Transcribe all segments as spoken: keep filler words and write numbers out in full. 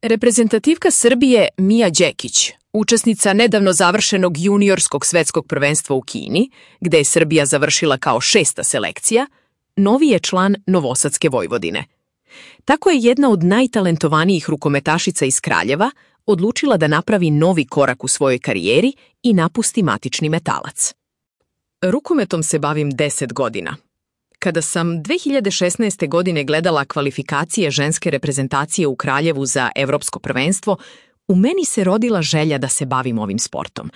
Reprezentativka Srbije Mija Đekić, učesnica nedavno završenog juniorskog svetskog prvenstva u Kini, gde je Srbija završila kao šesta selekcija, novi je član Novosadske Vojvodine. Tako je jedna od najtalentovanijih rukometašica iz Kraljeva odlučila da napravi novi korak u svojoj karijeri i napusti matični Metalac. Rukometom se bavim deset godina. Kada sam dve hiljade šesnaeste. godine gledala kvalifikacije ženske reprezentacije u Kraljevu za evropsko prvenstvo, u meni se rodila želja da se bavim ovim sportom.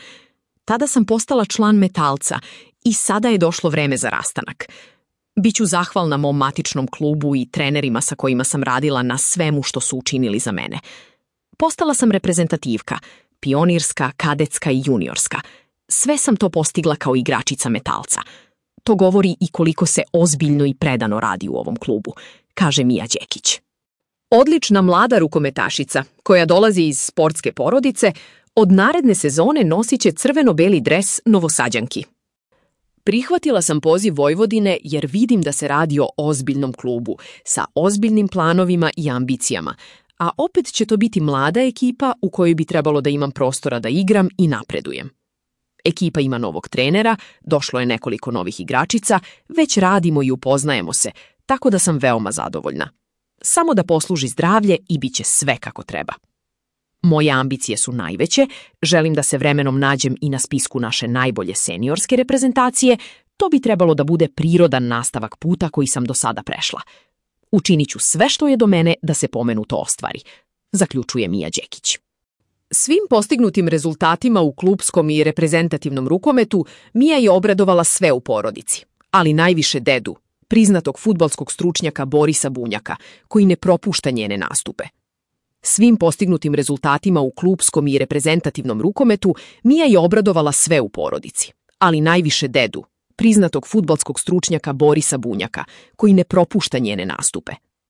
Tada sam postala član Metalca i sada je došlo vreme za rastanak. Biću zahvalna mom matičnom klubu i trenerima sa kojima sam radila na svemu što su učinili za mene. Postala sam reprezentativka, pionirska, kadetska i juniorska. Sve sam to postigla kao igračica Metalca. To govori i koliko se ozbiljno i predano radi u ovom klubu, kaže Mija Đekić. Odlična mlada rukometašica, koja dolazi iz sportske porodice, od naredne sezone nosit će crveno-beli dres Novosađanki. Prihvatila sam poziv Vojvodine jer vidim da se radi o ozbiljnom klubu, sa ozbiljnim planovima i ambicijama, a opet će to biti mlada ekipa u kojoj bi trebalo da imam prostora da igram i napredujem. Ekipa ima novog trenera, došlo je nekoliko novih igračica, već radimo i upoznajemo se, tako da sam veoma zadovoljna. Samo da posluži zdravlje i bit će sve kako treba. Moje ambicije su najveće, želim da se vremenom nađem i na spisku naše najbolje seniorske reprezentacije, to bi trebalo da bude prirodan nastavak puta koji sam do sada prešla. Učinit ću sve što je do mene da se pomenuto ostvari, zaključuje Mija Đekić. Svim postignutim rezultatima u klupskom i reprezentativnom rukometu Mija je obradovala sve u porodici, ali najviše dedu, priznatog fudbalskog stručnjaka Borisa Bunjaka, koji ne propušta njene nastupe. Svim postignutim rezultatima u klupskom i reprezentativnom rukometu Mija je obradovala sve u porodici, ali najviše dedu, priznatog fudbalskog stručnjaka Borisa Bunjaka, koji ne propušta njene nastupe.